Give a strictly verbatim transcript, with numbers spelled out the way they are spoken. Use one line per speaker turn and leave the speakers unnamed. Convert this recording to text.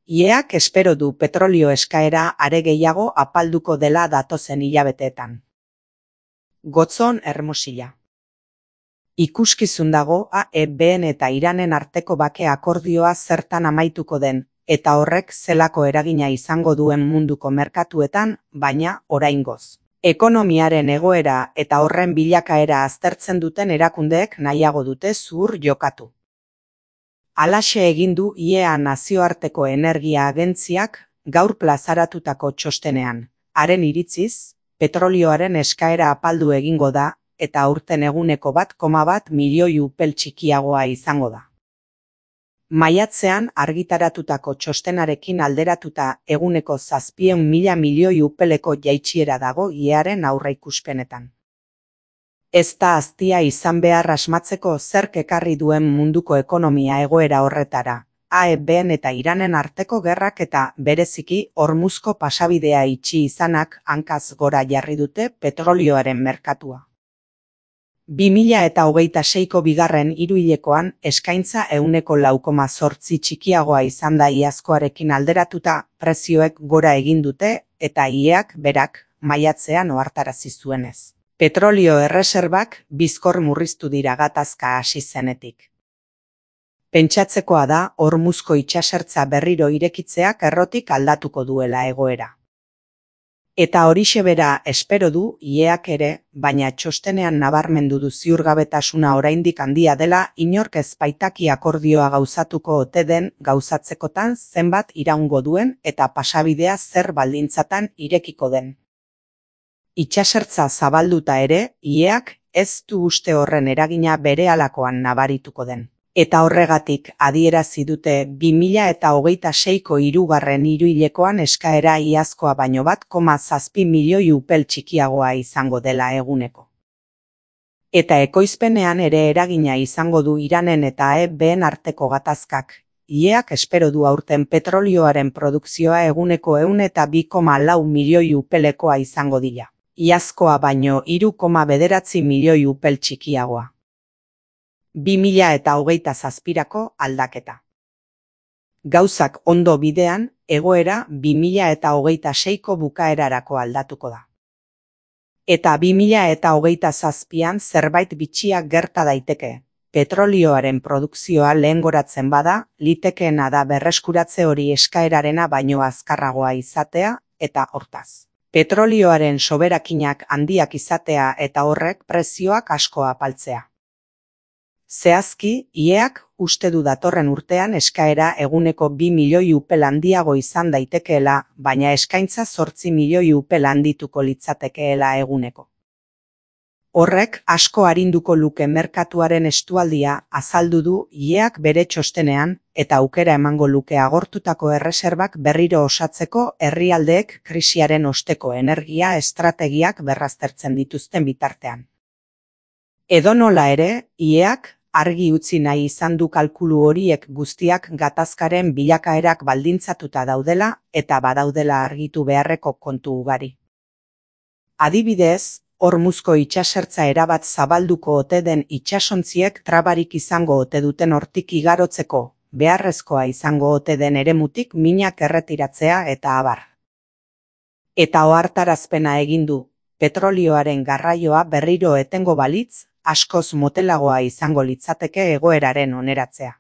Ieak espero du petrolio eskaera are gehiago apalduko dela datozen hilabeteetan. Gotzon Hermosilla. Ikuskizun dago A E Bn eta Iranen arteko bake akordioa zertan amaituko den, eta horrek zelako eragina izango duen munduko merkatuetan, baina oraingoz. Ekonomiaren egoera eta horren bilakaera aztertzen duten erakundeek nahiago dute zuhur jokatu. Halaxe egin du I E A nazioarteko energia agentziak gaur plazaratutako txostenean. Haren iritziz, petrolioaren eskaera apaldu egingo da, eta aurten eguneko bat koma bat milioi upel txikiagoa izango da. Maiatzean argitaratutako txostenarekin alderatuta eguneko zazpien mila milioi upeleko jaitsiera dago I E Aren aurreikuspenetan. Ez da aztia izan behar asmatzeko zerk ekarri duen munduko ekonomia egoera horretara, A E Bn eta Iranen arteko gerrak eta bereziki Hormuzko pasabidea itxi izanak hankaz gora jarri dute petrolioaren merkatua. bi mila eta hogeita seiko bigarren hiruhilekoan eskaintza ehuneko lau koma zortzi txikiagoa izan da iazkoarekin alderatuta, prezioek gora egin dute eta I E Ak berak maiatzean ohartarazi zuenez. Petrolio erreserbak bizkor murriztu dira gatazka hasi zenetik. Pentsatzekoa da Hormuzko itsasertza berriro irekitzeak errotik aldatuko duela egoera. Eta horixe bera espero du I E Ak ere, baina txostenean nabarmendu du ziurgabetasuna oraindik handia dela inork ez baitaki akordioa gauzatuko ote den gauzatzekotan zenbat iraungo duen eta pasabidea zer baldintzatan irekiko den. Itsasertza zabalduta ere, I E Ak ez du uste horren eragina berehalakoan nabarituko den. Eta horregatik adierazi dute bi mila eta hogeita seiko hirugarren hiruhilekoan eskaera iazkoa baino bat koma zazpi milioi upel txikiagoa izango dela eguneko. Eta ekoizpenean ere eragina izango du Iranen eta A E Bn arteko gatazkak. I E Ak espero du aurten petrolioaren produkzioa eguneko ehun eta bi koma lau milioi upelekoa izango dira. Iazkoa baino hiru koma bederatzi milioi upel txikiagoa. bi mila eta hogeita zazpirako aldaketa. Gauzak ondo bidean, egoera bi mila eta hogeita seiko bukaerarako aldatuko da. Eta bi mila eta hogeita zazpian zerbait bitxia gerta daiteke. Petrolioaren produkzioa lehengoratzen bada, litekeena da berreskuratze hori eskaerarena baino azkarragoa izatea, eta hortaz. Petrolioaren soberakinak handiak izatea eta horrek prezioak asko apaltzea. Zehazki, I E Ak uste du datorren urtean eskaera eguneko bi milioi upel handiago izan daitekeela, baina eskaintza zortzi milioi upel handituko litzatekeela eguneko. Horrek asko arinduko luke merkatuaren estualdia azaldu du I E Ak bere txostenean eta aukera emango luke agortutako erreserbak berriro osatzeko herrialdeek krisiaren osteko energia estrategiak berraztertzen dituzten bitartean. Edonola ere, I E Ak argi utzi nahi izan du kalkulu horiek guztiak gatazkaren bilakaerak baldintzatuta daudela eta badaudela argitu beharreko kontu ugari. Adibidez, Hormuzko itsasertza erabat zabalduko ote den itsasontziek trabarik izango ote duten hortik igarotzeko, beharrezkoa izango ote den eremutik minak erretiratzea eta abar. Eta ohartarazpena egin du, petrolioaren garraioa berriro etengo balitz, askoz motelagoa izango litzateke egoeraren oneratzea.